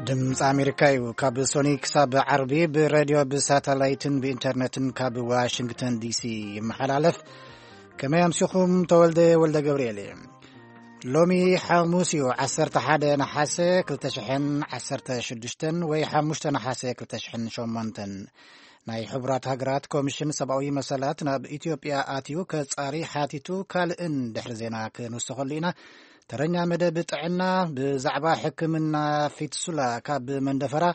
ድምፂ ኣሜሪካ እዩ። ካብ ሶኒ ክሳብ ዓርቢ ብሬድዮ፣ ብሳተላይትን ብኢንተርነትን ካብ ዋሽንግተን ዲሲ ይመሓላለፍ። ከመይ ኣምሲኹም? ተወልደ ወልደ ገብርኤል እየ። ሎሚ ሓሙስ እዩ፣ ዓሰርተ ሓደ ነሓሰ ክልተ ሽሕን ዓሰርተ ሽዱሽተን ወይ ሓሙሽተ ነሓሰ ክልተ ሽሕን ሸሞንተን። ናይ ሕቡራት ሃገራት ኮሚሽን ሰብኣዊ መሰላት ናብ ኢትዮጵያ ኣትዩ ከጻሪ ሓቲቱ፣ ካልእን ድሕሪ ዜና ክንውስኸሉ ኢና። ተረኛ መደብ ጥዕና፣ ብዛዕባ ሕክምና ፊትሱላ ካብ መንደፈራ፣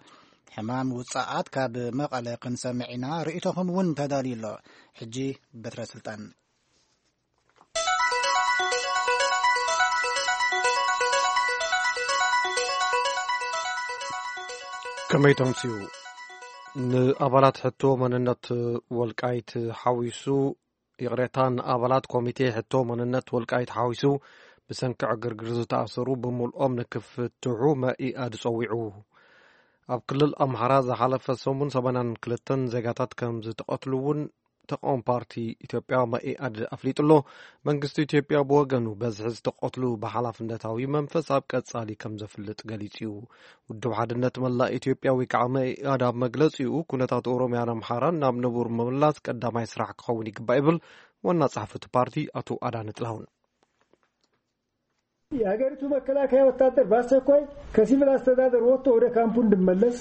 ሕማም ውጻኣት ካብ መቐለ ክንሰምዕ ኢና። ርእይቶኹም እውን ተዳልዩ ኣሎ። ሕጂ በትረ ስልጣን። ከመይ ተምስዩ? ንኣባላት ሕቶ መንነት ወልቃይት ሓዊሱ፣ ይቕሬታ፣ ንኣባላት ኮሚቴ ሕቶ መንነት ወልቃይት ሓዊሱ ብሰንኪ ዕግርግር ዝተኣሰሩ ብምልኦም ንክፍትሑ መኢኣድ ጸዊዑ። ኣብ ክልል ኣምሓራ ዝሓለፈ ሰሙን ሰማንያን ክልተን ዜጋታት ከም ዝተቐትሉ እውን ተቃዋሚ ፓርቲ ኢትዮጵያ መኢኣድ ኣፍሊጡ ኣሎ። መንግስቲ ኢትዮጵያ ብወገኑ በዝሒ ዝተቐትሉ ብሓላፍነታዊ መንፈስ ኣብ ቀጻሊ ከም ዘፍልጥ ገሊጹ እዩ። ውድብ ሓድነት መላእ ኢትዮጵያ ወይ ከዓ መኢኣድ ኣብ መግለጺኡ፣ ኩነታት ኦሮሚያን ኣምሓራን ናብ ንቡር ምምላስ ቀዳማይ ስራሕ ክኸውን ይግባእ ይብል ዋና ጸሓፊ እቲ ፓርቲ ኣቶ ኣዳነ ጥላሁን። የሀገሪቱ መከላከያ ወታደር በአስቸኳይ ከሲቪል አስተዳደር ወጥቶ ወደ ካምፑ እንዲመለስ፣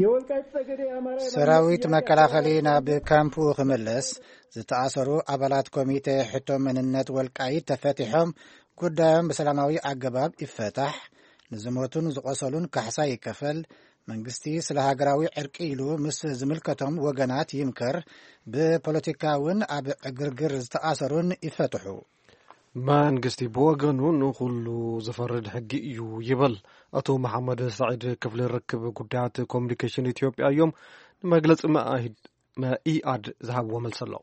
የወልቃይት ጠገዴ የአማራ የማንነት ሰራዊት ጥያቄ መከላኸሊ ናብ ካምፑ ክምለስ፣ ዝተኣሰሩ ኣባላት ኮሚቴ ሕቶ መንነት ወልቃይት ተፈቲሖም፣ ጉዳዮም ብሰላማዊ ኣገባብ ይፈታሕ፣ ንዝሞቱን ዝቆሰሉን ካሕሳ ይከፈል፣ መንግስቲ ስለ ሃገራዊ ዕርቂ ኢሉ ምስ ዝምልከቶም ወገናት ይምከር፣ ብፖለቲካ እውን ኣብ ዕግርግር ዝተኣሰሩን ይፈትሑ። መንግስቲ ብወገኑ ንኹሉ ዝፈርድ ሕጊ እዩ ይብል። ኣቶ መሓመድ ሳዒድ ክፍሊ ርክብ ጉዳያት ኮሚኒኬሽን ኢትዮጵያ እዮም ንመግለፂ መኢኣድ ዝሃብዎ መልሲ ኣሎ።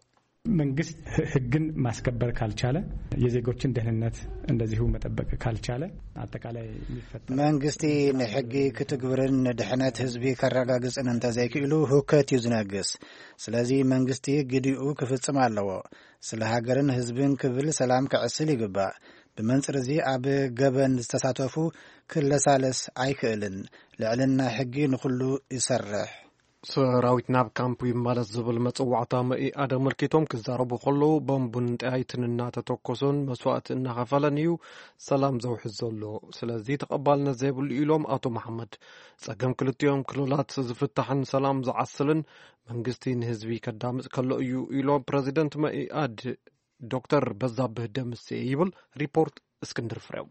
መንግስት ህግን ማስከበር ካልቻለ፣ የዜጎችን ደህንነት እንደዚሁ መጠበቅ ካልቻለ፣ አጠቃላይ የሚፈጠር መንግስቲ ንሕጊ ክትግብርን ንድሕነት ህዝቢ ከረጋግፅን እንተዘይክእሉ፣ ሁከት እዩ ዝነግስ። ስለዚ መንግስቲ ግዲኡ ክፍፅም ኣለዎ። ስለ ሃገርን ህዝብን ክብል ሰላም ከዕስል ይግባእ። ብመንፅር እዚ ኣብ ገበን ዝተሳተፉ ክለሳለስ ኣይክእልን። ልዕልና ሕጊ ንኹሉ ይሰርሕ። ሰራዊት ናብ ካምፕ ይመለስ ዝብል መፅዋዕታ መኢኣድ ኣመልኪቶም ክዛረቡ ከለዉ፣ ቦምብን ጠያይትን እናተተኮሱን መስዋእቲ እናኸፈለን እዩ ሰላም ዘውሕዝ ዘሎ። ስለዚ ተቐባልነት ዘይብሉ ኢሎም ኣቶ መሓመድ። ፀገም ክልቲኦም ክልላት ዝፍታሕን ሰላም ዝዓስልን መንግስቲ ንህዝቢ ከዳምፅ ከሎ እዩ ኢሎም ፕረዚደንት መኢኣድ ዶክተር በዛብህ ደምሴ ይብል ሪፖርት እስክንድር ፍሬው።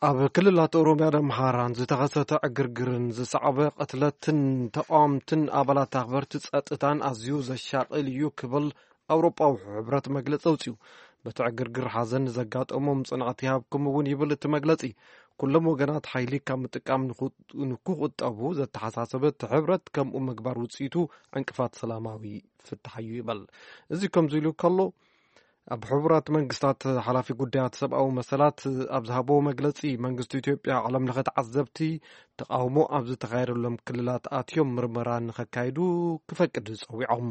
ኣብ ክልላት ኦሮሚያን ኣምሓራን ዝተኸሰተ ዕግርግርን ዝሰዓበ ቅትለትን ተቓወምትን ኣባላት ኣኽበርቲ ጸጥታን ኣዝዩ ዘሻቕል እዩ ክብል ኣውሮጳዊ ሕብረት መግለጺ ኣውጺኡ። በቲ ዕግርግር ሓዘን ንዘጋጠሞም ጽንዓት ይሃብኩም እውን ይብል እቲ መግለጺ። ኩሎም ወገናት ሓይሊ ካብ ምጥቃም ንክቑጠቡ ዘተሓሳሰበ እቲ ሕብረት ከምኡ ምግባር ውጽኢቱ ዕንቅፋት ሰላማዊ ፍታሕ እዩ ይበል። እዚ ከምዚ ኢሉ ከሎ ኣብ ሕቡራት መንግስታት ሓላፊ ጉዳያት ሰብኣዊ መሰላት ኣብ ዝሃቦ መግለጺ መንግስቲ ኢትዮጵያ ዓለም ለኸ ተዓዘብቲ ተቓውሞ ኣብ ዝተኻየደሎም ክልላት ኣትዮም ምርመራ ንኸካይዱ ክፈቅድ ጸዊዖም።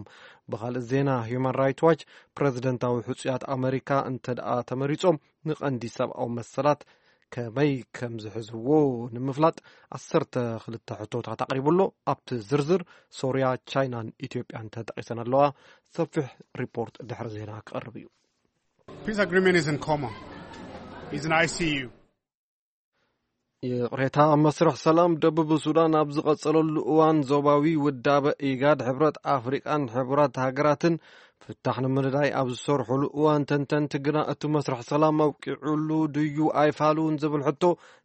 ብኻልእ ዜና ሂዩማን ራይት ዋች ፕረዚደንታዊ ሕጹያት ኣመሪካ እንተ ደኣ ተመሪጾም ንቐንዲ ሰብኣዊ መሰላት ከመይ ከም ዝሕዝዎ ንምፍላጥ ዓሰርተ ክልተ ሕቶታት ኣቕሪቡ ኣሎ። ኣብቲ ዝርዝር ሶርያ፣ ቻይናን ኢትዮጵያን ተጠቒሰን ኣለዋ። ሰፊሕ ሪፖርት ድሕሪ ዜና ክቐርብ እዩ። Peace agreement is in coma. It's in I C U. ይቕሬታ፣ ኣብ መስርሕ ሰላም ደቡብ ሱዳን ኣብ ዝቐጸለሉ እዋን ዞባዊ ውዳበ ኢጋድ፣ ሕብረት ኣፍሪቃን ሕቡራት ሃገራትን ፍታሕ ንምንዳይ ኣብ ዝሰርሕሉ እዋን ተንተንቲ ግና እቲ መስርሕ ሰላም ኣብቂዑሉ ድዩ ኣይፋሉን ዝብል ሕቶ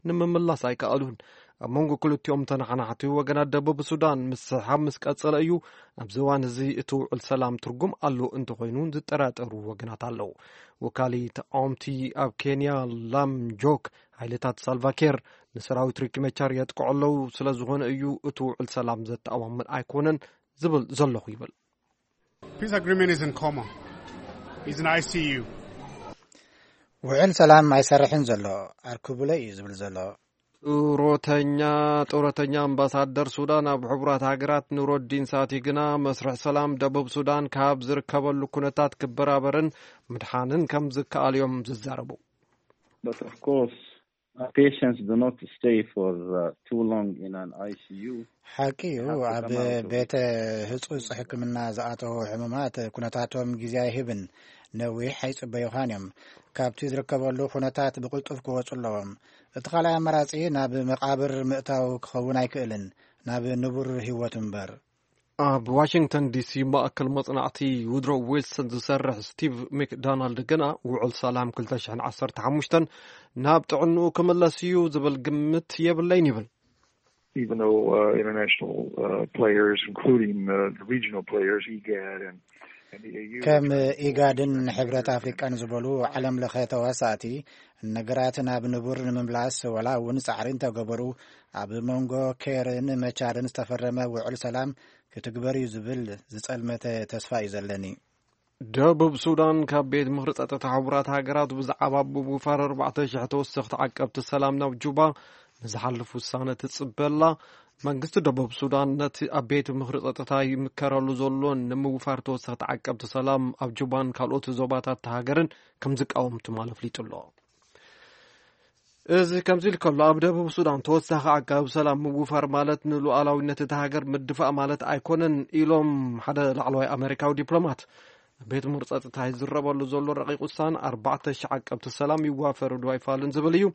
ንምምላስ ኣይከኣሉን። ኣብ መንጎ ክልቲኦም ተነሓናሕቲ ወገናት ደቡብ ሱዳን ምስሕሓብ ምስ ቀጸለ እዩ ኣብዚ እዋን እዚ እቲ ውዕል ሰላም ትርጉም ኣሎ እንተኾይኑ ዝጠራጠሩ ወገናት ኣለዉ። ወካሊ ተቃወምቲ ኣብ ኬንያ ላም ጆክ ሓይልታት ሳልቫኬር ንሰራዊት ሪክ መቻር የጥቅዑ ኣለዉ ስለ ዝኾነ እዩ እቲ ውዕል ሰላም ዘተኣማምን ኣይኮነን ዝብል ዘለኹ ይብል። Peace agreement is in coma. It's in I C U. ውዕል ሰላም ኣይሰርሕን ዘሎ፣ ኣርክቡለይ እዩ ዝብል ዘሎ። ጡረተኛ ጡረተኛ ኣምባሳደር ሱዳን ኣብ ሕቡራት ሃገራት ኑረዲን ሳቲ ግና መስርሕ ሰላም ደቡብ ሱዳን ካብ ዝርከበሉ ኩነታት ክበራበርን ምድሓንን ከም ዝከኣል እዮም ዝዛረቡ። But of course, Uh, patients do not stay for uh, too long in an I C U. ሓቂ እዩ። ኣብ ቤተ ህጹጽ ሕክምና ዝኣተዉ ሕሙማት ኩነታቶም ግዜ ኣይህብን። ነዊሕ ኣይጽበዩኻን እዮም። ካብቲ ዝርከበሉ ኩነታት ብቕልጡፍ ክወጹ ኣለዎም። እቲ ካልኣይ ኣማራጺ ናብ መቓብር ምእታው ክኸውን ኣይክእልን፣ ናብ ንቡር ህይወት እምበር። ኣብ ዋሽንግተን ዲሲ ማእከል መጽናዕቲ ውድሮ ዊልሰን ዝሰርሕ ስቲቭ ሚክዶናልድ ግና ውዕል ሰላም ክልተ ሽሕን ዓሰርተ ሓሙሽተን ናብ ጥዕንኡ ክምለስ እዩ ዝብል ግምት የብለይን ይብል። Even though uh, international uh, players, including uh, the regional players, igad and, and the A U, ከም ኢጋድን ሕብረት ኣፍሪቃን ዝበሉ ዓለም ለኸ ተዋሳእቲ ነገራት ናብ ንቡር ንምምላስ ዋላ እውን ጻዕሪ እንተገበሩ፣ ኣብ መንጎ ኬርን መቻድን ዝተፈረመ ውዕል ሰላም ክትግበር እዩ ዝብል ዝጸልመተ ተስፋ እዩ ዘለኒ። ደቡብ ሱዳን ካብ ቤት ምኽሪ ጸጥታ ሕቡራት ሃገራት ብዛዕባ ምውፋር ኣርባዕተ ሽሕ ተወሰኽቲ ዓቀብቲ ሰላም ናብ ጁባ ንዝሓልፍ ውሳነ ትጽበላ። መንግስቲ ደቡብ ሱዳን ነቲ ኣብ ቤት ምኽሪ ጸጥታ ይምከረሉ ዘሎ ንምውፋር ተወሰኽቲ ዓቀብቲ ሰላም ኣብ ጁባን ካልኦት ዞባታት ሃገርን ከም ዝቃወም ትማሊ ኣፍሊጡ ኣሎ። እዚ ከምዚ ኢሉ ከሎ፣ ኣብ ደቡብ ሱዳን ተወሳኺ ዓቃቢ ሰላም ምውፋር ማለት ንሉዓላዊነት እታ ሃገር ምድፋእ ማለት ኣይኮነን ኢሎም ሓደ ላዕለዋይ ኣመሪካዊ ዲፕሎማት። ቤት ምኽሪ ጸጥታ ይዝረበሉ ዘሎ ረቂቕ ውሳነ ኣርባዕተ ሽሕ ዓቀብቲ ሰላም ይዋፈሩ ዶ ኣይፋሉን ዝብል እዩ።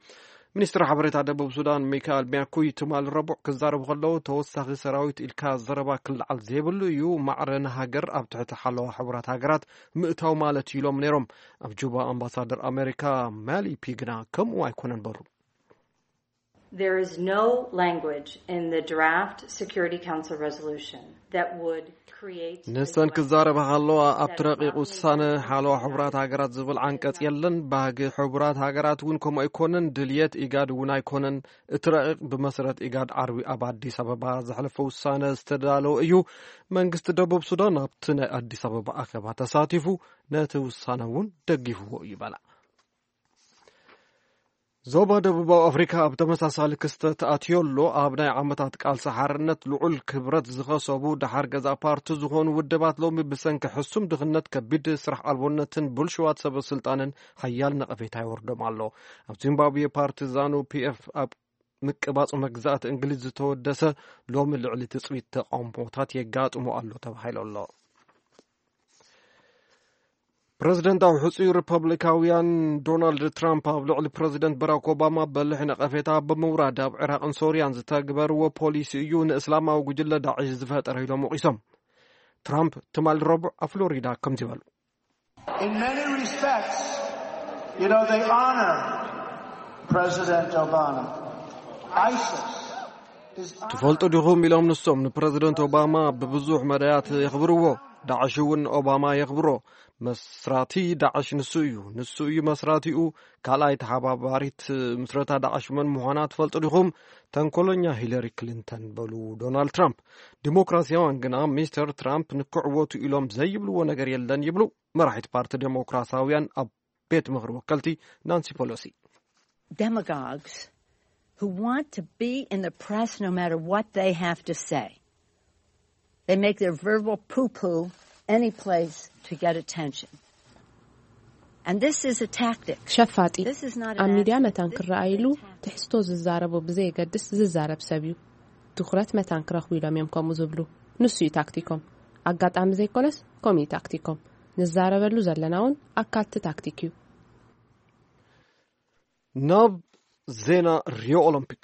ሚኒስትር ሓበሬታ ደቡብ ሱዳን ሚካኤል ሚያኩይ ትማል ረቡዕ ክዛረቡ ከለዉ፣ ተወሳኺ ሰራዊት ኢልካ ዘረባ ክለዓል ዘይብሉ እዩ፣ ማዕረ ንሃገር ኣብ ትሕቲ ሓለዋ ሕቡራት ሃገራት ምእታው ማለት እዩ ኢሎም ነይሮም። ኣብ ጁባ ኣምባሳደር ኣሜሪካ ማሊ ፒ ግና ከምኡ ኣይኮነን በሉ። There is no language in the draft Security Council resolution that would create. ንሰን ክዛረባ ከለዋ ኣብቲ ረቂቕ ውሳነ ሓለዋ ሕቡራት ሃገራት ዝብል ዓንቀጽ የለን። ባህጊ ሕቡራት ሃገራት እውን ከምኡ ኣይኮነን። ድልየት ኢጋድ እውን ኣይኮነን። እቲ ረቂቕ ብመሰረት ኢጋድ ዓርቢ ኣብ ኣዲስ ኣበባ ዘሕለፈ ውሳነ ዝተዳለወ እዩ። መንግስቲ ደቡብ ሱዳን ኣብቲ ናይ ኣዲስ ኣበባ ኣኼባ ተሳቲፉ ነቲ ውሳነ እውን ደጊፍዎ እዩ በላ። ዞባ ደቡባዊ ኣፍሪካ ኣብ ተመሳሳሊ ክስተት ኣትዮ ኣሎ። ኣብ ናይ ዓመታት ቃልሲ ሓርነት ልዑል ክብረት ዝኸሰቡ ደሓር ገዛ ፓርቲ ዝኾኑ ውድባት ሎሚ ብሰንኪ ሕሱም ድኽነት፣ ከቢድ ስራሕ ኣልቦነትን ብልሽዋት ሰበ ስልጣንን ሓያል ነቐፌታ ይወርዶም ኣሎ። ኣብ ዚምባብዌ ፓርቲ ዛኑ ፒ ኤፍ ኣብ ምቅባጽ መግዛእቲ እንግሊዝ ዝተወደሰ ሎሚ ልዕሊ ትጽቢት ተቃውሞታት የጋጥሞ ኣሎ ተባሂሉ ኣሎ። ፕረዚደንታዊ ሕጹይ ሪፐብሊካውያን ዶናልድ ትራምፕ ኣብ ልዕሊ ፕረዚደንት በራክ ኦባማ በልሕ ነቐፌታ ብምውራድ ኣብ ዒራቕን ሶርያን ዝተግበርዎ ፖሊሲ እዩ ንእስላማዊ ጉጅለ ዳዕሽ ዝፈጠረ ኢሎም ወቒሶም። ትራምፕ ትማሊ ረቡዕ ኣብ ፍሎሪዳ ከምዚ በሉ። In many respects, you know, they honor President Obama. ISIS is ትፈልጡ ዲኹም ኢሎም ንሶም ንፕረዚደንት ኦባማ ብብዙሕ መዳያት የኽብርዎ። ዳዕሽ እውን ኦባማ የኽብሮ። መስራቲ ዳዕሽ ንሱ እዩ። ንሱ እዩ መስራቲኡ። ካልኣይ ተሓባባሪት ምስረታ ዳዕሽ መን ምዃና ትፈልጡ ዲኹም? ተንኮለኛ ሂለሪ ክሊንተን በሉ ዶናልድ ትራምፕ። ዲሞክራሲያውያን ግና ሚስተር ትራምፕ ንክዕወቱ ኢሎም ዘይብልዎ ነገር የለን ይብሉ። መራሒት ፓርቲ ዴሞክራሲያውያን ኣብ ቤት ምኽሪ ወከልቲ ናንሲ ፖሎሲ። Demagogues who want to be in the press no matter what they have to say. They make their verbal poo poo any place to get attention. And this is a tactic. ሸፋጢ ኣብ ሚድያ መታን ክረኣይሉ ትሕዝቶ ዝዛረቡ ብዘየገድስ ዝዛረብ ሰብ እዩ። ትኹረት መታን ክረኽቡ ኢሎም እዮም ከምኡ ዝብሉ። ንሱ እዩ ታክቲኮም። ኣጋጣሚ ዘይኮነስ ከምኡ እዩ ታክቲኮም። ንዛረበሉ ዘለና እውን ኣካልቲ ታክቲክ እዩ። ናብ ዜና ሪዮ ኦሎምፒክ።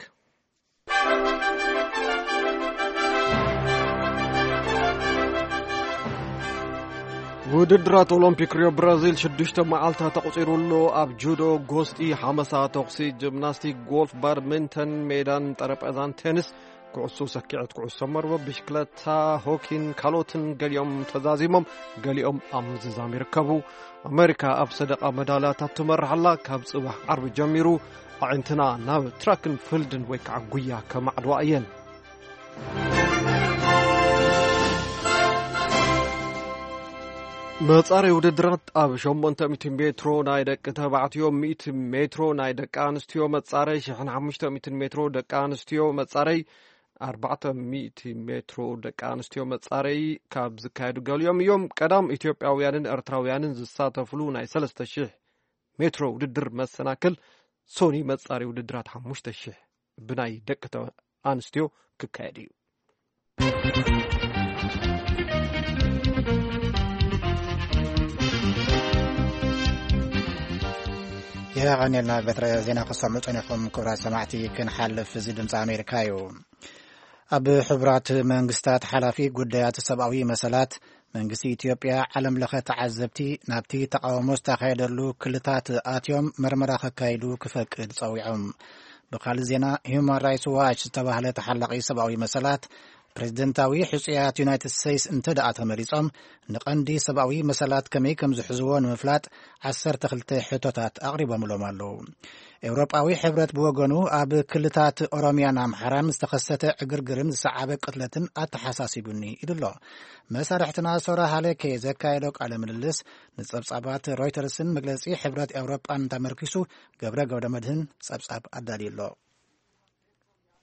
ውድድራት ኦሎምፒክ ሪዮ ብራዚል ሽዱሽተ መዓልታት ተቑጺሩ ኣሎ። ኣብ ጁዶ፣ ጎስጢ፣ ሓመሳ፣ ተኹሲ፣ ጂምናስቲክ፣ ጎልፍ፣ ባድሚንተን፣ ሜዳን ጠረጴዛን ቴኒስ፣ ኩዕሶ ሰኪዐት፣ ኩዕሶ መርበብ፣ ብሽክለታ፣ ሆኪን ካልኦትን ገሊኦም ተዛዚሞም፣ ገሊኦም ኣብ ምዝዛም ይርከቡ። ኣሜሪካ ኣብ ሰደቓ መዳልያታት ትመርሕ ኣላ። ካብ ጽባሕ ዓርቢ ጀሚሩ ኣዒንትና ናብ ትራክን ፊልድን ወይ ከዓ ጉያ ከማዕድዋ እየን። መጻረይ ውድድራት ኣብ ሸሞንተ ሚእቲ ሜትሮ ናይ ደቂ ተባዕትዮ፣ ሚእቲ ሜትሮ ናይ ደቂ ኣንስትዮ መጻረይ፣ ሽሕን ሓሙሽተ ሚእትን ሜትሮ ደቂ ኣንስትዮ መጻረይ፣ ኣርባዕተ ሚእቲ ሜትሮ ደቂ ኣንስትዮ መጻረይ ካብ ዝካየዱ ገሊኦም እዮም። ቀዳም ኢትዮጵያውያንን ኤርትራውያንን ዝሳተፍሉ ናይ ሰለስተ ሽሕ ሜትሮ ውድድር መሰናክል ሶኒ መጻሪ ውድድራት ሓሙሽተ ሺሕ ብናይ ደቂ ተ-፣ ኣንስትዮ ክካየድ እዩ። የቐኔልና በትረ ዜና ክሰምዑ ጸኒሕኩም ክቡራት ሰማዕቲ። ክንሓልፍ፣ እዚ ድምፂ ኣሜሪካ እዩ። ኣብ ሕቡራት መንግስታት ሓላፊ ጉዳያት ሰብኣዊ መሰላት መንግስቲ ኢትዮጵያ ዓለም ለኸ ተዓዘብቲ ናብቲ ተቃውሞ ዝተኻየደሉ ክልታት ኣትዮም መርመራ ከካይዱ ክፈቅድ ጸዊዖም። ብኻልእ ዜና፣ ሂዩማን ራይትስ ዋች ዝተባህለ ተሓላቒ ሰብኣዊ መሰላት ፕሬዝደንታዊ ሕጹያት ዩናይትድ ስቴትስ እንተ ደኣ ተመሪጾም፣ ንቐንዲ ሰብኣዊ መሰላት ከመይ ከም ዝሕዝዎ ንምፍላጥ ዓሰርተ ክልተ ሕቶታት ኣቕሪቦምሎም ኣለዉ። ኤውሮጳዊ ሕብረት ብወገኑ ኣብ ክልታት ኦሮሚያን ኣምሓራን ዝተኸሰተ ዕግርግርን ዝሰዓበ ቅትለትን ኣተሓሳሲቡኒ ኢሉ ኣሎ። መሳርሕትና ሶራ ሃለኬ ዘካየዶ ቃለ ምልልስ ንጸብጻባት ሮይተርስን መግለጺ ሕብረት ኤውሮጳን ተመርኪሱ ገብረ ገብረ መድህን ጸብጻብ ኣዳልዩ ኣሎ።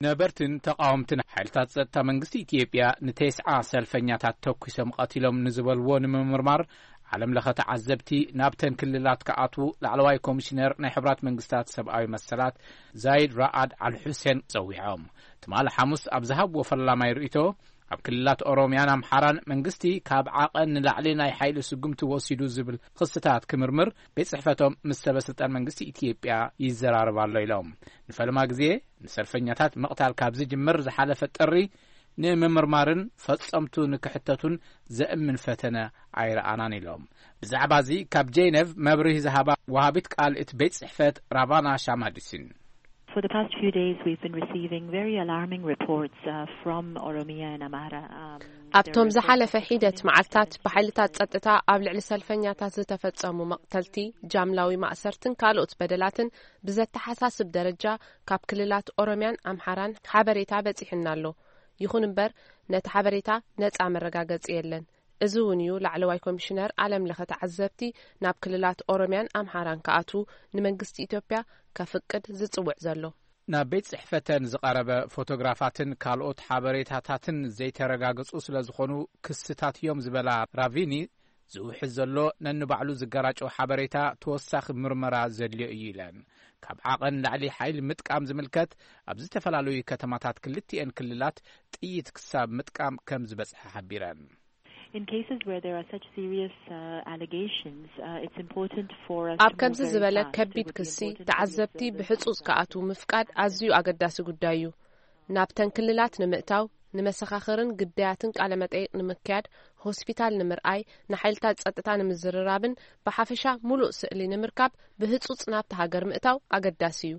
ነበርትን ተቃወምትን ሓይልታት ጸጥታ መንግስቲ ኢትዮጵያ ንተስዓ ሰልፈኛታት ተኩሶም ቀቲሎም ንዝበልዎ ንምምርማር ዓለም ለኸ ተዓዘብቲ ናብተን ክልላት ክኣትዉ ላዕለዋይ ኮሚሽነር ናይ ሕብራት መንግስታት ሰብኣዊ መሰላት ዛይድ ራኣድ ኣል ሑሴን ጸዊዖም። ትማሊ ሓሙስ ኣብ ዝሃብዎ ፈላማይ ርእይቶ፣ ኣብ ክልላት ኦሮሚያን ኣምሓራን መንግስቲ ካብ ዓቐን ንላዕሊ ናይ ሓይሊ ስጉምቲ ወሲዱ ዝብል ክስታት ክምርምር ቤት ጽሕፈቶም ምስ ሰበ ስልጣን መንግስቲ ኢትዮጵያ ይዘራረብ ኣሎ ኢሎም። ንፈለማ ግዜ ንሰልፈኛታት ምቕታል ካብ ዝጅምር ዝሓለፈ ጥሪ ንምምርማርን ፈጸምቱ ንክሕተቱን ዘእምን ፈተነ ኣይረኣናን ኢሎም። ብዛዕባ እዚ ካብ ጄኔቭ መብርሂ ዝሃባ ወሃቢት ቃል እቲ ቤት ጽሕፈት ራቫና ሻማዲሲን። For the past few days, we've been receiving very alarming reports, uh, from Oromia and Amhara. Um, there ኣብቶም were ዝሓለፈ reports of ሒደት community መዓልታት violence ብሓይልታት against ጸጥታ ኣብ ልዕሊ ሰልፈኛታት ዝተፈጸሙ መቕተልቲ፣ ጃምላዊ ማእሰርትን ካልኦት በደላትን ብዘተሓሳስብ ደረጃ ካብ ክልላት ኦሮሚያን ኣምሓራን ሓበሬታ በጺሑና ኣሎ። ይኹን እምበር፣ ነቲ ሓበሬታ ነጻ መረጋገጺ የለን። እዚ እውን እዩ ላዕለዋይ ኮሚሽነር ዓለም ለኸ ተዓዘብቲ ናብ ክልላት ኦሮሚያን ኣምሓራን ክኣትዉ ንመንግስቲ ኢትዮጵያ ከፍቅድ ዝጽውዕ ዘሎ። ናብ ቤት ጽሕፈተን ዝቐረበ ፎቶግራፋትን ካልኦት ሓበሬታታትን ዘይተረጋገጹ ስለ ዝኾኑ ክስታት እዮም ዝበላ ራቪኒ፣ ዝውሕዝ ዘሎ ነንባዕሉ ዝገራጨው ሓበሬታ ተወሳኺ ምርመራ ዘድልዮ እዩ ኢለን። ካብ ዓቐን ላዕሊ ሓይሊ ምጥቃም ዝምልከት ኣብ ዝተፈላለዩ ከተማታት ክልቲኤን ክልላት ጥይት ክሳብ ምጥቃም ከም ዝበጽሐ ሓቢረን። In cases where there are such serious, uh, allegations, uh, it's important for us ኣብ to move ከምዚ very ዝበለ fast. It ከቢድ would be ክሲ important for the ተዓዘብቲ observers ብሕጹጽ and ክኣትዉ ምፍቃድ ኣዝዩ ኣገዳሲ ጉዳይ እዩ። ናብተን ክልላት ንምእታው፣ ንመሰኻኽርን ግዳያትን ቃለ መጠይቕ ንምክያድ፣ ሆስፒታል ንምርኣይ፣ ንሓይልታት ጸጥታ ንምዝርራብን ብሓፈሻ ሙሉእ ስእሊ ንምርካብ ብህጹጽ ናብቲ ሃገር ምእታው ኣገዳሲ እዩ።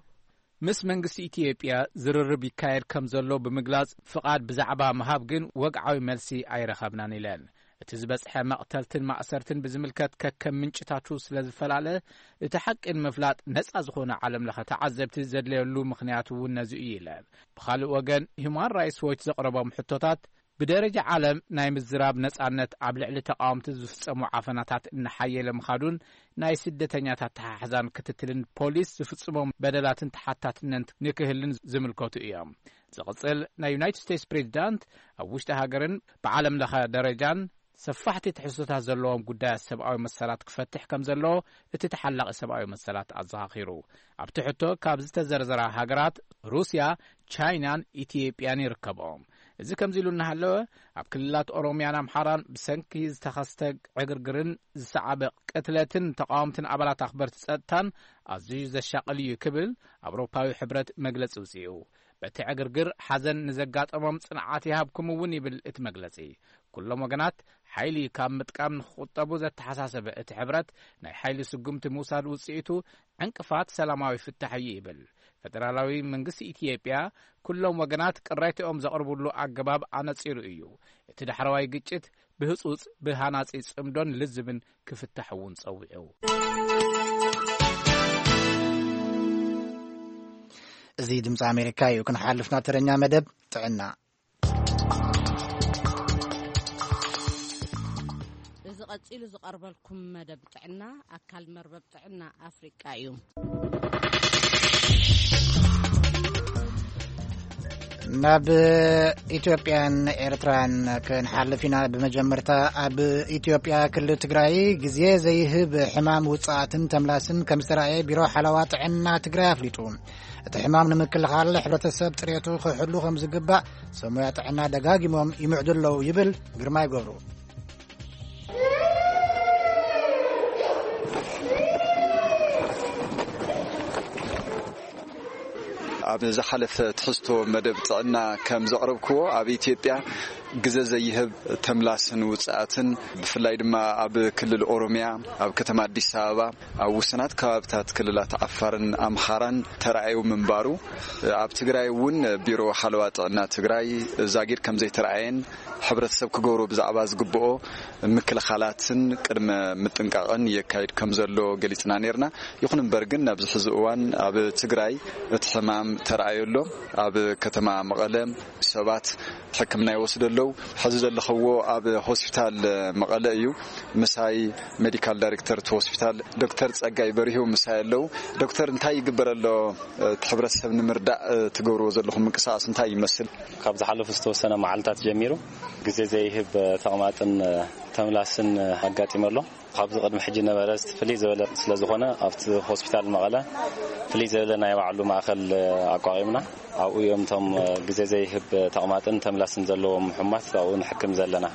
ምስ መንግስቲ ኢትዮጵያ ዝርርብ ይካየድ ከም ዘሎ ብምግላጽ፣ ፍቓድ ብዛዕባ ምሃብ ግን ወግዓዊ መልሲ ኣይረኸብናን ኢለን። እቲ ዝበጽሐ መቕተልትን ማእሰርትን ብዝምልከት ከከም ምንጭታቱ ስለ ዝፈላለ፣ እቲ ሓቂ ንምፍላጥ ነጻ ዝኾነ ዓለም ለኸ ተዓዘብቲ ዘድለየሉ ምኽንያት እውን ነዚ እዩ ኢለን። ብኻልእ ወገን፣ ሂዩማን ራይትስ ዎች ዘቕረቦም ሕቶታት፣ ብደረጃ ዓለም ናይ ምዝራብ ነጻነት ኣብ ልዕሊ ተቃወምቲ ዝፍጸሙ ዓፈናታት እናሓየለ ምኻዱን ናይ ስደተኛታት ተሓሕዛን ክትትልን ፖሊስ ዝፍጽሞም በደላትን ተሓታትነት ንክህልን ዝምልከቱ እዮም። ዝቕጽል ናይ ዩናይትድ ስቴትስ ፕሬዚዳንት ኣብ ውሽጢ ሃገርን ብዓለም ለኸ ደረጃን ሰፋሕቲ ትሕዝቶታት ዘለዎም ጉዳያት ሰብኣዊ መሰላት ክፈትሕ ከም ዘለዎ እቲ ተሓላቒ ሰብኣዊ መሰላት ኣዘኻኺሩ። ኣብቲ ሕቶ ካብ ዝተዘርዘራ ሃገራት ሩስያ፣ ቻይናን ኢትዮጵያን ይርከብኦም። እዚ ከምዚ ኢሉ እናሃለወ፣ ኣብ ክልላት ኦሮሚያን ኣምሓራን ብሰንኪ ዝተኸስተ ዕግርግርን ዝሰዓበ ቅትለትን ተቃወምትን ኣባላት ኣኽበርቲ ጸጥታን ኣዝዩ ዘሻቕል እዩ ክብል ኣውሮፓዊ ሕብረት መግለጺ ውጽኡ። በቲ ዕግርግር ሓዘን ንዘጋጠሞም ጽንዓት ይሃብኩም እውን ይብል እቲ መግለጺ። ኩሎም ወገናት ሓይሊ ካብ ምጥቃም ንክቁጠቡ ዘተሓሳሰበ እቲ ሕብረት፣ ናይ ሓይሊ ስጉምቲ ምውሳድ ውጽኢቱ ዕንቅፋት ሰላማዊ ፍታሕ እዩ ይብል። ፈደራላዊ መንግስቲ ኢትዮጵያ ኩሎም ወገናት ቅሬታኦም ዘቕርብሉ ኣገባብ ኣነጺሩ እዩ። እቲ ዳሕረዋይ ግጭት ብህጹጽ ብሃናጺ ጽምዶን ልዝብን ክፍታሕ እውን ጸዊዑ። እዚ ድምፂ ኣሜሪካ እዩ። ክንሓልፍ ናብ ተረኛ መደብ ጥዕና። እዚ ቀጺሉ ዝቐርበልኩም መደብ ጥዕና ኣካል መርበብ ጥዕና ኣፍሪቃ እዩ። ናብ ኢትዮጵያን ኤርትራን ክንሓልፍ ኢና። ብመጀመርታ፣ ኣብ ኢትዮጵያ ክልል ትግራይ ግዜ ዘይህብ ሕማም ውጽኣትን ተምላስን ከም ዝተራእየ ቢሮ ሓለዋ ጥዕና ትግራይ ኣፍሊጡ። እቲ ሕማም ንምክልኻል ሕብረተሰብ ጽሬቱ ክሕሉ ከም ዝግባእ ሰብ ሞያ ጥዕና ደጋጊሞም ይምዕዱ ኣለዉ ይብል ግርማይ ገብሩ። ኣብ ዝሓለፈ ትሕዝቶ መደብ ጥዕና ከም ዘቕረብክዎ፣ ኣብ ኢትዮጵያ ግዘ ዘይህብ ተምላስን ውጽኣትን፣ ብፍላይ ድማ ኣብ ክልል ኦሮሚያ፣ ኣብ ከተማ ኣዲስ ኣበባ፣ ኣብ ውሱናት ከባብታት ክልላት ዓፋርን ኣምሓራን ተራእዩ ምንባሩ፣ ኣብ ትግራይ እውን ቢሮ ሓለዋ ጥዕና ትግራይ ዛጊድ ከም ዘይተራእየን፣ ሕብረተሰብ ክገብሮ ብዛዕባ ዝግብኦ ምክልኻላትን ቅድመ ምጥንቃቕን የካይድ ከም ዘሎ ገሊጽና ነይርና። ይኹን እምበር ግን ኣብዚ ሕዚ እዋን ኣብ ትግራይ እቲ ሕማም ተራእዮ ኣሎ። ኣብ ከተማ መቐለ ሰባት ሕክምና ይወስዱ ኣለዉ። ሕዚ ዘለኽዎ ኣብ ሆስፒታል መቐለ እዩ። ምሳይ ሜዲካል ዳይሬክተር እቲ ሆስፒታል ዶክተር ጸጋይ በሪሁ ምሳይ ኣለዉ። ዶክተር፣ እንታይ ይግበር ኣሎ? እቲ ሕብረተሰብ ንምርዳእ ትገብርዎ ዘለኹም ምንቅስቓስ እንታይ ይመስል? ካብ ዝሓለፉ ዝተወሰነ መዓልታት ጀሚሩ ግዜ ዘይህብ ተቕማጥን ተምላስን ኣጋጢሙ ኣሎ። ካብዚ ቅድሚ ሕጂ ነበረ ፍልይ ዝበለ ስለ ዝኾነ፣ ኣብቲ ሆስፒታል መቐለ ፍልይ ዝበለ ናይ ባዕሉ ማእከል ኣቋቒምና፣ ኣብኡ እዮም እቶም ግዜ ዘይህብ ተቕማጥን ተምላስን ዘለዎም ሕሙማት ኣብኡ ንሕክም ዘለና።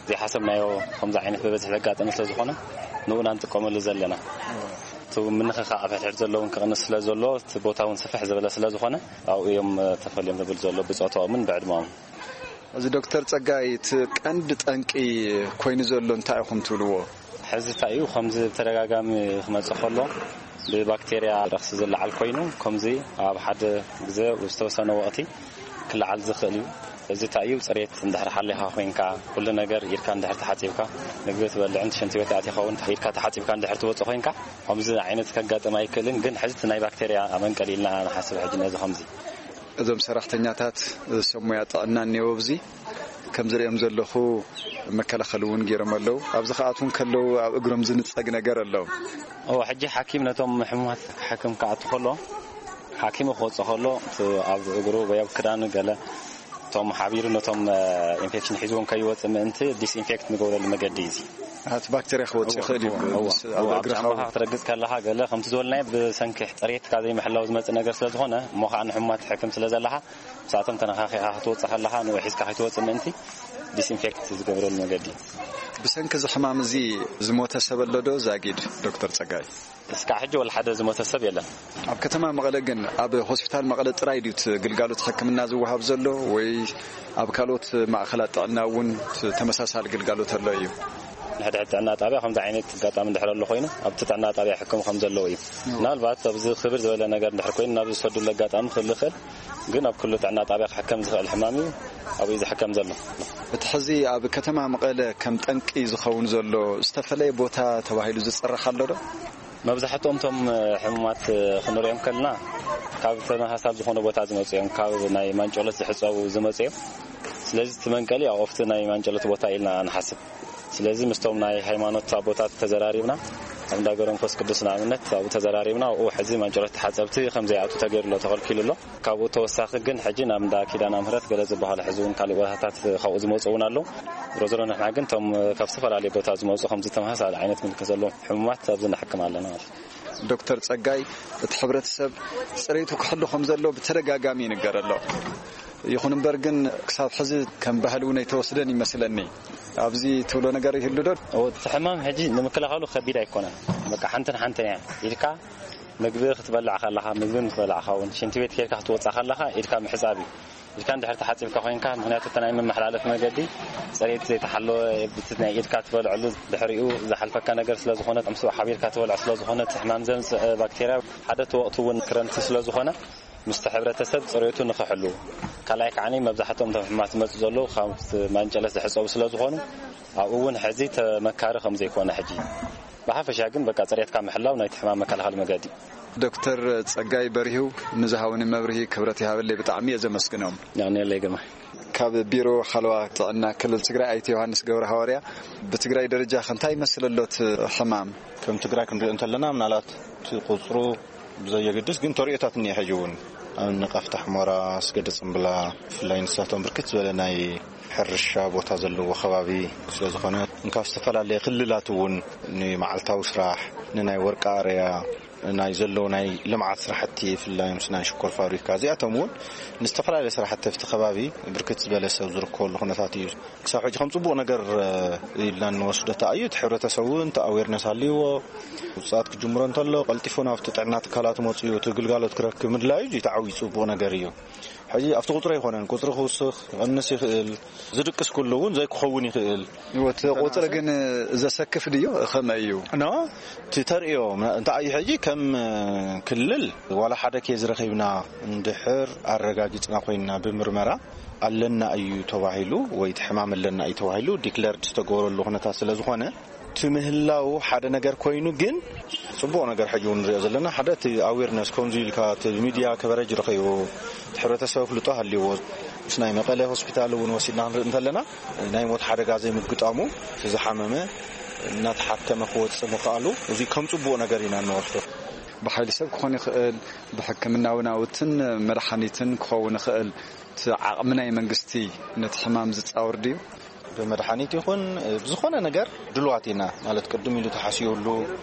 ዘይሓሰብናዮ ከምዚ ዓይነት ብበዝሒ ዘጋጠመ ስለ ዝኾነ፣ ንኡ ኢና ንጥቀመሉ ዘለና። እቲ ምንኽኻእ ኣብ ሕድሕድ ዘለውን ክቕንስ ስለ ዘሎ፣ እቲ ቦታ እውን ስፍሕ ዝበለ ስለ ዝኾነ፣ ኣብኡ እዮም ተፈልዮም ዝብል ዘሎ ብጾታኦምን ብዕድመኦምን። እዚ ዶክተር ጸጋይ፣ እቲ ቀንዲ ጠንቂ ኮይኑ ዘሎ እንታይ ኢኹም ትብልዎ? ሕዚ እንታይ እዩ፣ ከምዚ ብተደጋጋሚ ክመጽእ ከሎ ብባክቴርያ ረኽሲ ዝለዓል ኮይኑ፣ ከምዚ ኣብ ሓደ ግዜ ዝተወሰነ ወቕቲ ክለዓል ዝኽእል እዩ። እዚ እንታይ እዩ፣ ጽሬት እንድሕር ሓሊኻ ኮይንካ፣ ኩሉ ነገር ኢድካ እንድሕር ተሓጺብካ፣ ምግቢ ትበልዕን ሽንቲ ቤት ኣቲኻ እውን ኢድካ ተሓጺብካ እንድሕር ትወጽእ ኮይንካ፣ ከምዚ ዓይነት ከጋጥም ኣይክእልን። ግን ሕዚ እቲ ናይ ባክቴርያ መንቀሊ ኢልና ንሓስብ። ሕጂ ነዚ ከምዚ እዞም ሰራሕተኛታት ሰብ ሞያ ጥዕና እኒኦ ኣብዚ ከም ዝርእዮም ዘለኹ መከላኸሊ እውን ገይሮም ኣለዉ። ኣብዚ ክኣትዉ ከለዉ ኣብ እግሮም ዝንጸግ ነገር ኣለዎም። እዎ፣ ሕጂ ሓኪም ነቶም ሕሙማት ክሓክም ክኣቱ ከሎ፣ ሓኪሙ ክወጽእ ከሎ፣ እቲ ኣብ እግሩ ወይ ኣብ ክዳኑ ገለ እቶም ሓቢሩ ነቶም ኢንፌክሽን ሒዝዎም ከይወጽእ ምእንቲ ዲስኢንፌክት ንገብረሉ መገዲ እዩ እዚ። እቲ ባክቴርያ ክወጽእ ይኽእል እዩ። እዎ፣ ምስ እዎ፣ ኣብ ኣብ እግርኻ ጫማኻ ክትረግጽ ከለኻ ገለ ከምቲ ዝበልናዮ ብሰንኪ ጽሬትካ ዘይምሕላው ዝመጽእ ነገር ስለ ዝኾነ፣ እሞ ኸዓ ንሕሙማት ትሕክም ስለ ዘለኻ፣ ምስኣቶም ተነኻኺኻ ክትወጽእ ከለኻ ንኡ ሒዝካ ከይትወጽእ ምእንቲ ዲስኢንፌክት ዝገብረሉ መገዲ። ብሰንኪ እዚ ሕማም እዚ ዝሞተ ሰብ ኣሎ ዶ ዛጊድ ዶክተር ጸጋይ? እስካዕ ሕጂ ወላ ሓደ ዝሞተ ሰብ የለን። ኣብ ከተማ መቐለ ግን ኣብ ሆስፒታል መቐለ ጥራይ ድዩ እቲ ግልጋሎት ሕክምና ዝወሃብ ዘሎ ወይ ኣብ ካልኦት ማእኸላት ጥዕና እውን ተመሳሳሊ ግልጋሎት ኣሎ እዩ? ንሕድሕድ ጥዕና ጣብያ ከምዚ ዓይነት ኣጋጣሚ እንድሕር ኣሎ ኮይኑ ኣብቲ ጥዕና ጣብያ ሕክም ከም ዘለዎ እዩ። ምናልባት ኣብዚ ክብር ዝበለ ነገር እንድሕር ኮይኑ ናብ ዝሰዱሉ ኣጋጣሚ ክህሉ ይኽእል፣ ግን ኣብ ኩሉ ጥዕና ጣብያ ክሕከም ዝኽእል ሕማም እዩ ኣብኡ ዝሕከም ዘሎ። እቲ ሕዚ ኣብ ከተማ መቐለ ከም ጠንቂ ዝኸውን ዘሎ ዝተፈለየ ቦታ ተባሂሉ ዝፅራሕ ኣሎ ዶ? መብዛሕትኦም እቶም ሕሙማት ክንሪኦም ከለና ካብ ተመሳሳሊ ዝኾነ ቦታ ዝመፁ እዮም። ካብ ናይ ማንጨሎት ዝሕፀቡ ዝመፁ እዮም። ስለዚ እቲ መንቀሊ ኣብ ኦፍቲ ናይ ማንጨሎት ቦታ ኢልና ንሓስብ። ስለዚ ምስቶም ናይ ሃይማኖት ኣቦታት ተዘራሪብና፣ ኣብ እንዳ ገብረ መንፈስ ቅዱስ ንኣብነት ኣብኡ ተዘራሪብና፣ ኣብኡ ሕዚ ማንጨሎት ተሓፀብቲ ከም ዘይኣቱ ተገይሩ ኣሎ፣ ተኸልኪሉ ኣሎ። ካብኡ ተወሳኺ ግን ሕጂ ናብ እንዳ ኪዳነ ምሕረት ገለ ዝበሃሉ ሕዚ እውን ካልእ ቦታታት ካብኡ ዝመፁ እውን ኣለዉ። ዞሮ ዞሮ ንሕና ግን እቶም ካብ ዝተፈላለየ ቦታ ዝመፁ ከምዚ ተመሳሳሊ ዓይነት ምልክት ዘለዎም ሕሙማት ኣብዚ ንሕክም ኣለና ማለት እዩ። ዶክተር ጸጋይ፣ እቲ ሕብረተሰብ ጽሬቱ ክሕሉ ከም ዘሎ ብተደጋጋሚ ይንገር ኣሎ። ይኹን እምበር ግን ክሳብ ሕዚ ከም ባህሊ እውን ኣይተወስደን ይመስለኒ። ኣብዚ ትብሎ ነገር ይህሉ ዶ? እቲ ሕማም ሕጂ ንምክልኻሉ ከቢድ ኣይኮነን። በቃ ሓንትን ሓንትን እያ። ኢድካ ምግቢ ክትበልዕ ከለኻ፣ ምግቢ ምስ በላዕካ እውን፣ ሽንቲ ቤት ኬድካ ክትወጽእ ከለኻ ኢድካ ምሕጻብ እዩ። ኢድካ እንድሕር ተሓጺብካ ኮይንካ፣ ምኽንያቱ እቲ ናይ መመሓላለፊ መገዲ ጽሬት ዘይተሓለወ፣ እቲ ናይ ኢድካ ትበልዐሉ ድሕሪኡ ዝሓልፈካ ነገር ስለ ዝኾነ፣ ምስኡ ሓቢርካ ትበልዖ ስለ ዝኾነ፣ እቲ ሕማም ዘምጽእ ባክቴርያ፣ ሓደ እቲ ወቕቲ እውን ክረምቲ ስለ ዝኾነ፣ ምስቲ ሕብረተሰብ ጽሬቱ ንኽሕሉ፣ ካልኣይ ከዓኒ መብዛሕትኦም እቶም ሕማማት ዝመጹ ዘለዉ ካብቲ ማንጨለት ዝሕጸቡ ስለ ዝኾኑ፣ ኣብኡ እውን ሕዚ ተመካሪ ከም ዘይኮነ ሕጂ። ብሓፈሻ ግን በቃ ጽሬትካ ምሕላው ናይቲ ሕማም መከላኸሊ መገዲ። ዶክተር ጸጋይ በሪሁ ንዝሃቡኒ መብርሂ ክብረት ይሃበለይ፣ ብጣዕሚ እየ ዘመስግኖም። ያኔ ለይ ግርማ። ካብ ቢሮ ሓለዋ ጥዕና ክልል ትግራይ ኣይተ ዮሃንስ ገብረ ሃዋርያ፣ ብትግራይ ደረጃ ከ እንታይ ይመስል ኣሎ እቲ ሕማም? ከም ትግራይ ክንሪኦ እንተለና ምናልባት እቲ ቁፅሩ ብዘየገድስ ግን ተርእዮታት እኒኦ ሕጂ እውን ኣብ ንቃፍታ ሕሞራ፣ ኣስገደ ጽምብላ፣ ብፍላይ ንሳቶም ብርክት ዝበለ ናይ ሕርሻ ቦታ ዘለዎ ከባቢ ስለ ዝኾነ፣ እንካብ ዝተፈላለየ ክልላት እውን ንመዓልታዊ ስራሕ፣ ንናይ ወርቂ ኣረያ፣ ናይ ዘለዉ ናይ ልምዓት ስራሕቲ፣ ብፍላይ ምስ ናይ ሽኮር ፋብሪካ፣ እዚኣቶም እውን ንዝተፈላለየ ስራሕቲ ኣብቲ ከባቢ ብርክት ዝበለ ሰብ ዝርከበሉ ኩነታት እዩ። ክሳብ ሕጂ ከም ጽቡቕ ነገር ኢልና እንወስዶ ተኣዩ። እቲ ሕብረተሰብ እውን እቲ ኣዌርነስ ኣልይዎ፣ ውፅኣት ክጅምሮ እንተሎ ቀልጢፉ ናብቲ ጥዕና ትካላት መፅኡ እቲ ግልጋሎት ክረክብ ምድላዩ እዚ ተዓዊ ጽቡቕ ነገር እዩ። ሕጂ ኣብቲ ቁፅሪ ኣይኮነን፣ ቁፅሪ ክውስኽ ክቐንስ ይኽእል፣ ዝድቅስ ኩሉ እውን ዘይክኸውን ይኽእል። እቲ ቁፅሪ ግን ዘሰክፍ ድዩ? ከመይ እዩ? ኖ፣ እቲ ተርእዮ እንታይ እዩ? ሕጂ ከም ክልል ዋላ ሓደ ኬዝ ረኺብና እንድሕር ኣረጋጊፅና ኮይንና ብምርመራ ኣለና እዩ ተባሂሉ ወይ እቲ ሕማም ኣለና እዩ ተባሂሉ ዲክለርድ ዝተገበረሉ ኩነታት ስለ ዝኾነ፣ እቲ ምህላው ሓደ ነገር ኮይኑ፣ ግን ጽቡቕ ነገር ሕጂ እውን ንሪኦ ዘለና ሓደ እቲ ኣዌርነስ ከምዚ ኢልካ እቲ ሚድያ ከቨረጅ ረኺቡ እቲ ሕብረተሰብ ኣፍልጦ ሃልይዎ ምስ ናይ መቐለ ሆስፒታል እውን ወሲድና ክንርኢ እንተለና ናይ ሞት ሓደጋ ዘይምግጣሙ እቲ ዝሓመመ እናተሓከመ ክወፅእ ምኽኣሉ እዚ ከም ጽቡቕ ነገር ኢና እንወስዶ። ብሓይሊ ሰብ ክኾን ይኽእል፣ ብሕክምናዊ ናውትን መድሓኒትን ክኸውን ይኽእል። እቲ ዓቕሚ ናይ መንግስቲ ነቲ ሕማም ዝጻወር ድዩ? ብመድሓኒት ይኹን ብዝኾነ ነገር ድልዋት ኢና ማለት ቅድም ኢሉ ተሓሲቡሉ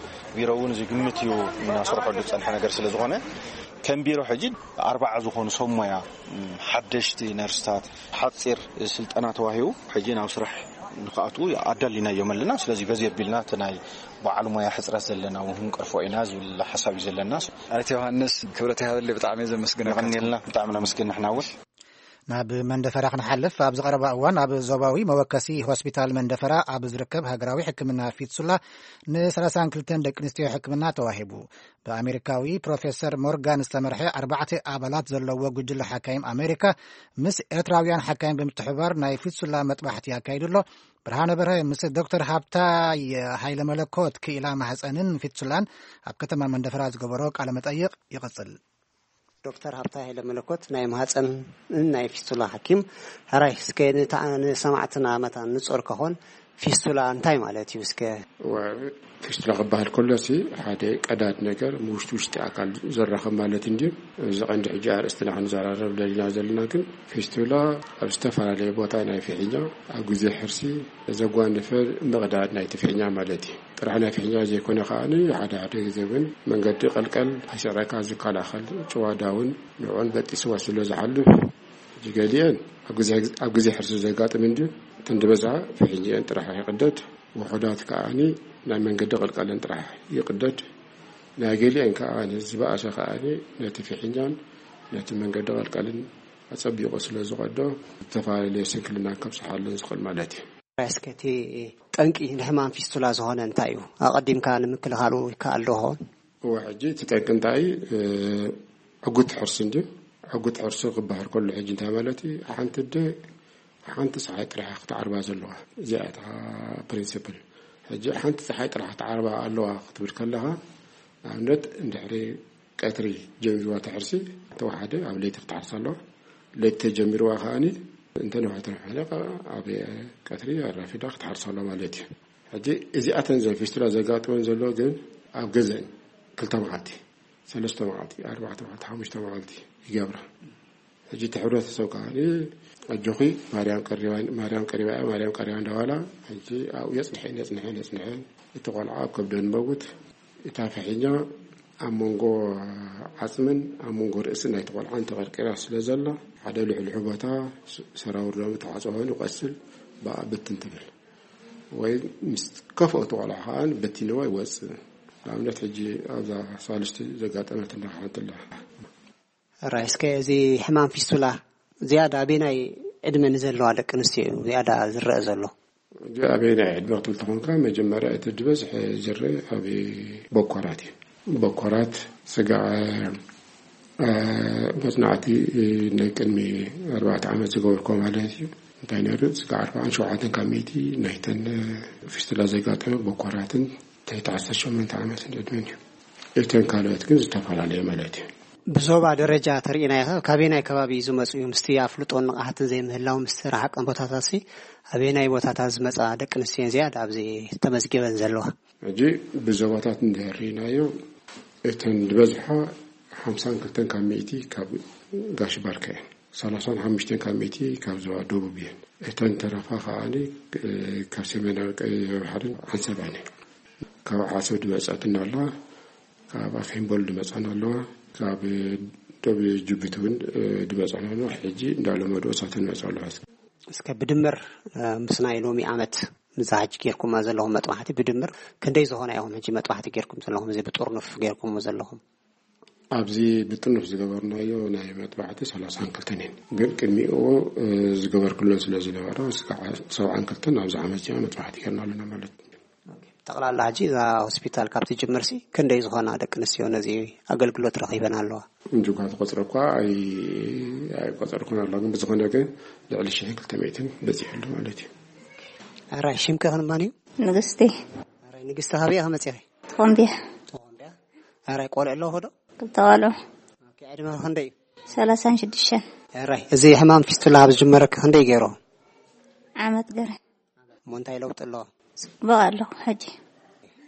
ቢሮ እውን ዝግምት እዩ እናሰርሐሉ ዝጸንሐ ነገር ስለ ዝኾነ ከም ቢሮ ሕጂ ኣርባዓ ዝኾኑ ሰብ ሞያ ሓደሽቲ ነርስታት ሓፂር ስልጠና ተዋሂቡ ሕጂ ናብ ስራሕ ንክኣትዉ ኣዳሊናዮም ኣለና። ስለዚ በዚ ኣቢልና እቲ ናይ በዓል ሞያ ሕፅረት ዘለና እውን ክንቀርፎ ኢና ዝብል ሓሳብ እዩ ዘለና። ኣይተ ዮሃንስ ክብረት ይሃበለይ፣ ብጣዕሚ እየ ዘመስግነካ። የቐንየልና፣ ብጣዕሚ ነመስግን ንሕና እውን። ናብ መንደፈራ ክንሓልፍ፣ ኣብዚ ቀረባ እዋን ኣብ ዞባዊ መወከሲ ሆስፒታል መንደፈራ ኣብ ዝርከብ ሃገራዊ ሕክምና ፊትሱላ ን ሰላሳን ክልተን ደቂ ኣንስትዮ ሕክምና ተዋሂቡ። ብኣሜሪካዊ ፕሮፌሰር ሞርጋን ዝተመርሐ ኣርባዕተ ኣባላት ዘለዎ ጉጅለ ሓካይም ኣሜሪካ ምስ ኤርትራውያን ሓካይም ብምትሕብባር ናይ ፊትሱላ መጥባሕቲ ኣካይዱ ኣሎ። ብርሃነ በርሀ ምስ ዶክተር ሃብታይ ሃይለ መለኮት ክኢላ ማህፀንን ፊትሱላን ኣብ ከተማ መንደፈራ ዝገበሮ ቃለ መጠይቕ ይቕጽል። ዶክተር ሃብታይ ሃይለ መለኮት ናይ ማህፀንን ናይ ፊስቱላ ሓኪም፣ ሕራይ እስከ ንታ- ንሰማዕትና መታን ንጾር ከኾን ፊስቱላ እንታይ ማለት እዩ እስከ? ወ- ፊስቱላ ክበሃል ከሎ ሲ ሓደ ቀዳድ ነገር ውሽጢ ውሽጢ ኣካል ዘራኸብ ማለት እንድዩ። እዚ ቀንዲ ሕጂ ኣርእስትና ክንዘራረብ ደሊና ዘለና ግን ፊስቱላ ኣብ ዝተፈላለየ ቦታ ናይ ፍሕኛ ኣብ ግዜ ሕርሲ ዘጓነፈ ምቕዳድ ናይ ትፍሕኛ ማለት እዩ። ጥራሕ ናይ ፍሕኛ ዘይኮነ ከኣ ሓደ ሓደ ግዜ እውን መንገዲ ቀልቀል ኣይስዕረካ ዝከላኸል ጭዋዳ እውን ንዕኡን በጢስዋ ስለ ዝሓልፍ፣ ሕጂ ገሊአን ኣብ ግዜ ኣብ ግዜ ሕርሲ ዘጋጥም እንድዩ። እተን ዝበዝሓ ፍሕኛኤን ጥራሕ ይቕደድ፣ ውሑዳት ከኣ ናይ መንገዲ ቀልቀለን ጥራሕ ይቕደድ። ናይ ገሊአን ከኣ ዝበኣሰ ከኣ ነቲ ፍሕኛን ነቲ መንገዲ ቀልቀልን ኣጸቢቑ ስለ ዝቐዶ ዝተፈላለየ ስንክልና ከብጽሓለን ዝኽእል ማለት እዩ። እስከ እቲ ጠንቂ ንሕማም ፊስቱላ ዝኾነ እንታይ እዩ? ኣቐዲምካ ንምክልኻሉ ይከኣል ዶ ኸውን? እወ፣ ሕጂ እቲ ጠንቂ እንታይ እዩ? ዕጉት ሕርሲ እንድዩ። ዕጉት ሕርሲ ክበሃል ከሎ ሕጂ እንታይ ማለት እዩ? ሓንቲ ኣደ ሓንቲ ፀሓይ ጥራሕ ክትዓርባ ዘለዋ፣ እዚኣ እታ ፕሪንስፕል። ሕጂ ሓንቲ ፀሓይ ጥራሕ ክትዓርባ ኣለዋ ክትብል ከለኻ፣ ንኣብነት እንድሕሪ ቀትሪ ጀሚርዋ እቲ ሕርሲ፣ ተወሓደ ኣብ ለይቲ ክትሓርስ ኣለዋ። ለይቲ ተጀሚርዋ ከኣኒ እንተ ነውሐ ተነውሐ ኣብ ቀትሪ ኣራፊዳ ክትሓርስ ኣለዋ ማለት እዩ። ሕጂ እዚኣተን ዘን ፊስቱላ ዘጋጥመን ዘሎ ግን ኣብ ገዘን ክልተ መዓልቲ፣ ሰለስተ መዓልቲ፣ ኣርባዕተ መዓልቲ፣ ሓሙሽተ መዓልቲ ይገብራ። ሕጂ እቲ ሕብረተሰብ ከኣ ኣጆኺ ማርያም ቀሪባ፣ ማርያም ቀሪባ እያ፣ ማርያም ቀሪባ እንዳባላ ሕጂ ኣብኡ የጽንሐን የጽንሐን የጽንሐን እቲ ቆልዓ ኣብ ከብደን መውት እታ ፍሒኛ ኣብ መንጎ ዓጽምን ኣብ መንጎ ርእሲ ናይቲ ቆልዓን ተቐርቂራ ስለ ዘላ ሓደ ልሕልሑ ቦታ ሰራውር ሎሚ ተዓጽወ ኮይኑ ቀስል ብኣ ብትን ትብል ወይ ምስ ከፍኦ እቲ ቆልዓ ከኣ በቲንዋ ይወጽእ። ንኣብነት ሕጂ ኣብዛ ሳልስቲ ዘጋጠመትና ሓንቲ ኣላ። ራይ እስከ እዚ ሕማም ፊስቱላ ዝያዳ ኣበየናይ ዕድመ ንዘለዋ ደቂ ኣንስትዮ እዩ ዝያዳ ዝረአ ዘሎ? እዚ ኣበየናይ ዕድመ ክትብል ተኾንካ መጀመርያ እቲ ዝበዝሐ ዝረአ ኣብ በኮራት እዩ። በኮራት ስጋዕ መጽናዕቲ ናይ ቅድሚ ኣርባዕተ ዓመት ዝገበርኮ ማለት እዩ እንታይ ነይሩ ስጋዕ ኣርባዓን ሸውዓተን ካብ ሚእቲ ናይተን ፊስቱላ ዘጋጠመ በኮራትን ትሕቲ ዓሰርተ ሸሞንተ ዓመትን ዕድመን እዩ። እተን ካልኦት ግን ዝተፈላለየ ማለት እዩ። ብዞባ ደረጃ ተርእናዮ ካበየናይ ከባቢ እዩ ዝመፁ እዩ ምስቲ ኣፍልጦን ንቕሓትን ዘይምህላው ምስቲ ረሓቀን ቦታታት ሲ ኣበየናይ ቦታታት ዝመፃ ደቂ ኣንስትዮ ዝያዳ ኣብዚ ተመዝጊበን ዘለዋ? ሕጂ ብዞባታት እንድሕር ርኢናዮ እተን ዝበዝሓ ሓምሳን ክልተን ካብ ሚእቲ ካብ ጋሽ ባርከ እየን። ሰላሳን ሓሙሽተን ካብ ሚእቲ ካብ ዞባ ደቡብ እየን። እተን ተረፋ ከዓኒ ካብ ሰሜናዊ ቀይሕ ባሕርን ዓሰባን እየን። ካብ ዓሰብ ድመፀትና ኣለዋ፣ ካብ ኣፌምቦል ድመፀና ኣለዋ፣ ካብ ደብ ጅቡቲ እውን ድመፀና ኣለዋ። ሕጂ እንዳለመዱ እሳተን ይመፅኡ ኣለዋ። እስከ ብድምር ምስ ናይ ሎሚ ዓመት፣ ምዛ ሕጂ ጌርኩማ ዘለኹም መጥባሕቲ ብድምር ክንደይ ዝኾነ ኢኹም ሕጂ መጥባሕቲ ጌርኩም ዘለኹም? እዚ ብጥርኑፍ ጌርኩሞ ዘለኹም? ኣብዚ ብጥርኑፍ ዝገበርናዮ ናይ መጥባሕቲ ሰላሳን ክልተን እየን። ግን ቅድሚኡ ዝገበርክለን ስለ ዝነበረ፣ እስካዕ ሰብዓን ክልተን ኣብዚ ዓመት እዚኣ መጥባሕቲ ጌርና ኣለና ማለት እዩ። ጠቕላላ ሕጂ እዛ ሆስፒታል ካብ ትጅምርሲ ክንደይ ዝኾና ደቂ ኣንስትዮ ነዚ ኣገልግሎት ረኺበን ኣለዋ? እንጅጓ ተቆፅረ እኳ ኣይ-፣ ኣይቆፀርኩን ኣሎ፣ ግን ብዝኾነ ግን ልዕሊ ሽሕን ክልተ ሚእትን በፂሑ ኣሎ ማለት እዩ። ኣራይ፣ ሽምኪ ክንማን እዩ? ንግስቲ። ኣራይ፣ ንግስቲ፣ ካበይ ኢኺ መፂኺ? ተኾምቢያ። ተኾምቢያ። ኣራይ፣ ቆልዑ ኣለዎ ዶ? ክልተ ቆልዑ። ኦኬ፣ ዕድመ ክንደይ እዩ? ሰላሳን ሽዱሽተን። ኣራይ፣ እዚ ሕማም ፊስቱላ ኣብ ዝጅመረኪ ክንደይ ገይሩ? ዓመት ገረ። እሞ እንታይ ለውጢ ኣለዎ? ጽቡቕ ኣለኹ ሕጂ።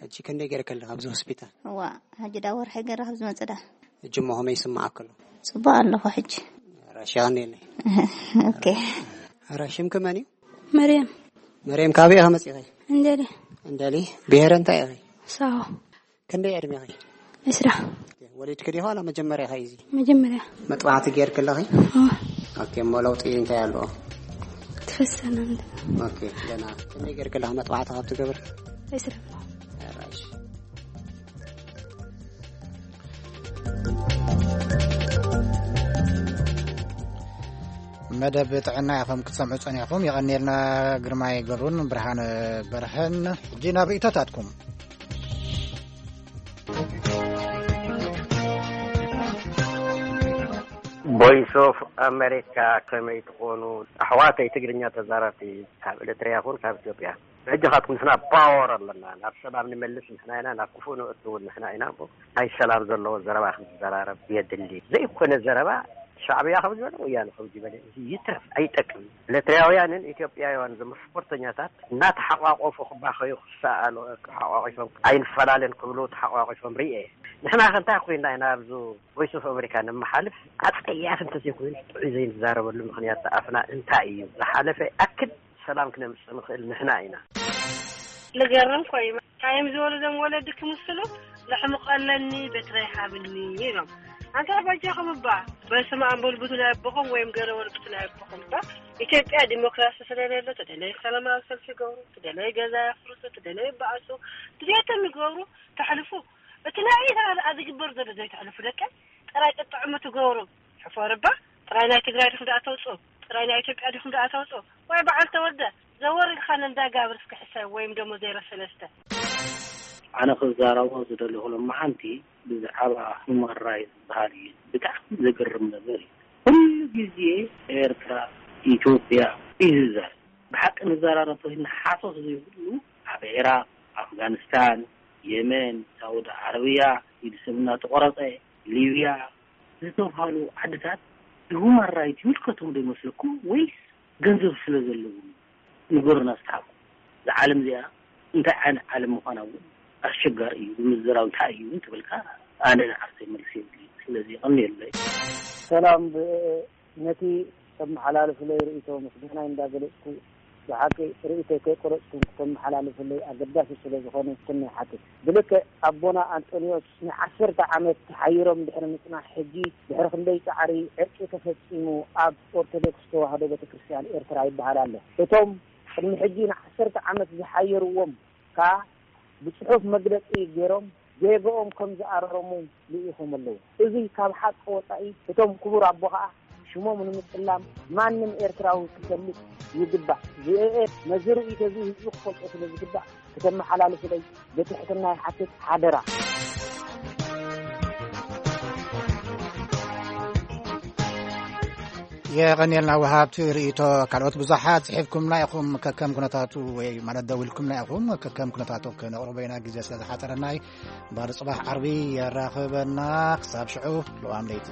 ሕጂ ክንደይ ገይርኪ ኣለኺ ኣብዚ ሆስፒታል? እዋ፣ ሕጂ ዳ ወርሒ ገይረ ካብ ዝመጽእ ዳ። ሕጂ እሞ ከመይ ይስምዓኪ ኣሎ? ጽቡቕ ኣለኹ ሕጂ። ራሽ የቐንየለይ። ኦኬ። ራሽ ሽምኪ መን እዩ? መርያም። መርያም፣ ካበይ ኢኺ መጺኺ? እንደሊ። እንደሊ። ብሄረ እንታይ ኢኺ? ሳሆ። ክንደይ ዕድሜኺ? ዕስራ። ወሊድኪ ዲኺ ዋላ መጀመርያ ኢኺ እዚ? መጀመርያ። መጥባሕቲ ጌርኪ ኣለኺ? እወ። ኦኬ፣ እሞ ለውጢ እንታይ ኣለዎ? ትፈሰና እንደ። ኦኬ፣ ደህና። ክንደይ ጌርኪ ኣለኺ መጥባሕቲ ካብ ትገብሪ? ዕስራ። ራሽ። መደብ ጥዕና ኢኹም ክትሰምዑ ጸኒሕኩም። የቐንየልና ግርማይ ገብሩን ብርሃነ በርሀን። ሕጂ ናብ ርእይቶታትኩም። ቮይስ ኦፍ ኣሜሪካ፣ ከመይ ትኾኑ ኣሕዋተይ ትግርኛ ተዛረብቲ ካብ ኤርትራ ይኹን ካብ ኢትዮጵያ? ሕጂ ካትኩም ንሕና ፓወር ኣለና፣ ናብ ሰላም ንመልስ ንሕና ኢና፣ ናብ ክፉእ ንእቱ እውን ንሕና ኢና። እሞ ናይ ሰላም ዘለዎ ዘረባ ክንዘራረብ የድሊ። ዘይኮነ ዘረባ ሻዕብያ ከም ዝበለ ወያነ ከም ዝበለ እዚ ይትረፍ፣ ኣይጠቅም። ኤርትራውያንን ኢትዮጵያውያን ዝም ስፖርተኛታት እናተሓቋቆፉ ክባኸዩ ክሰኣሉ ተሓቋቂፎም ኣይንፈላለን ክብሉ ተሓቋቂፎም ርኤ። ንሕና ከ እንታይ ኮይንና ኢና ኣብዚ ቮይስ ኦፍ ኣሜሪካ ንመሓልፍ? ኣጸያፊ እንተዘይኮይኑ ጥዑይ ዘይንዛረበሉ ምኽንያት ኣፍና እንታይ እዩ? ዝሓለፈ ኣክል ሰላም ክነምጽእ ንኽእል ንሕና ኢና። ልገርም ኮይኑ ካይም ዝበሉ ዞም ወለዲ ክምስሉ ለሕምቆ ኣለኒ በትረ ይሃብኒ ኢሎም። ኣንታ በጃኹም እባ በስመ ኣብ በሉ ብቱ ናይ ኣቦኹም ወይም ገለ በሉ ብቱ ናይ ኣቦኹም እባ። ኢትዮጵያ ዲሞክራሲ ስለሌለ ትደለይ ሰላማዊ ሰልፊ ይገብሩ፣ ትደለይ ገዛ የፍርሱ፣ ትደለይ ይበኣሱ፣ ድሌቶም ይገብሩ፣ ተሕልፉ። እቲ ናይ ኤርትራ ደኣ ዝግበር ዘሎ ዘይተሕልፉ ደቀ ጥራይ ጥጥዕሙ ትገብሩ። ሕፎር እባ ጥራይ ናይ ትግራይ ዲኹም ደኣ ተውፅኡ? ጥራይ ናይ ኢትዮጵያ ዲኹም ደኣ ተውፅኡ? ወይ በዓል ተወልደ ዘወር ኢልካ ነንዳ ጋብር እስከ ሕሰብ ወይም ደሞ ዜሮ ሰለስተ። ኣነ ክዛረቦ ዝደለኹ ሎማዓንቲ ብዛዕባ ሁማን ራይት ዝበሃል እዩ። ብጣዕሚ ዘገርም ነገር እዩ። ኩሉ ግዜ ኤርትራ፣ ኢትዮጵያ እዩ ዝዛረብ። ብሓቂ ንዘራረብ ተኾይንና ሓሶት ዘይብሉ ኣብ ዒራቕ፣ ኣፍጋኒስታን፣ የመን፣ ሳውዲ ዓረብያ ኢድ ሰብ እናተቖረጸ፣ ሊብያ ዝተብሃሉ ዓድታት ንሁማን ራይት ይምልከቶም ዶ ይመስለኩም ወይስ ገንዘብ ስለ ዘለዎም? ንገሩና እስቲ ሓቁ። እዛ ዓለም እዚኣ እንታይ ዓይነት ዓለም ምዃና እውን ኣሸጋሪ እዩ፣ ብምዝራብ እንታይ እዩ እውን ትብልካ፣ ኣነ ንዓርሰይ መልሲ የብለይን። ስለዚ የቐንየለይ። ሰላም፣ ብ-፣ ነቲ ተመሓላልፍለይ ርእይቶ ምስጋናይ እንዳገለጽኩ፣ ብሓቂ ርእይቶይ ከይቆረጽኩም ክተመሓላልፍለይ ኣገዳሲ ስለ ዝኾነ ኩነ ይሓትት። ብልክዕ ኣቦና ኣንጦንዮስ ንዓሰርተ ዓመት ተሓይሮም ድሕሪ ምጽናሕ፣ ሕጂ ድሕሪ ክንደይ ጻዕሪ ዕርቂ ተፈጺሙ ኣብ ኦርቶዶክስ ተዋህዶ ቤተክርስትያን ኤርትራ ይበሃል ኣሎ። እቶም ቅድሚ ሕጂ ንዓሰርተ ዓመት ዝሓየርዎም ከኣ ብጽሑፍ መግለጺ ገይሮም ጌግኦም ከም ዝኣረሙ ልኢኾም ኣለዉ። እዚ ካብ ሓቂ ወጻኢ እቶም ክቡር ኣቦ ከኣ ሽሞም ንምጽላም ማንም ኤርትራዊ ክፈልጥ ይግባእ። ቪኦኤ ነዚ ርእይቶ እዚ ህዝቢ ክፈልጦ ስለ ዝግባእ ክተመሓላልፉለይ ብትሕትና ይሓትት፣ ሓደራ። የቐንየልና ወሃብቲ ርእይቶ። ካልኦት ብዙሓት ጽሒፍኩምና ኢኹም፣ ከከም ኩነታቱ ወይ ማለት ደዊልኩምና ኢኹም፣ ከከም ኩነታቱ ክነቕርቦ ኢና፣ ግዜ ስለ ዝሓጸረና እዩ። እምበኣር ጽባሕ ዓርቢ የራኽበና። ክሳብ ሽዑ ልዋም ለይቲ።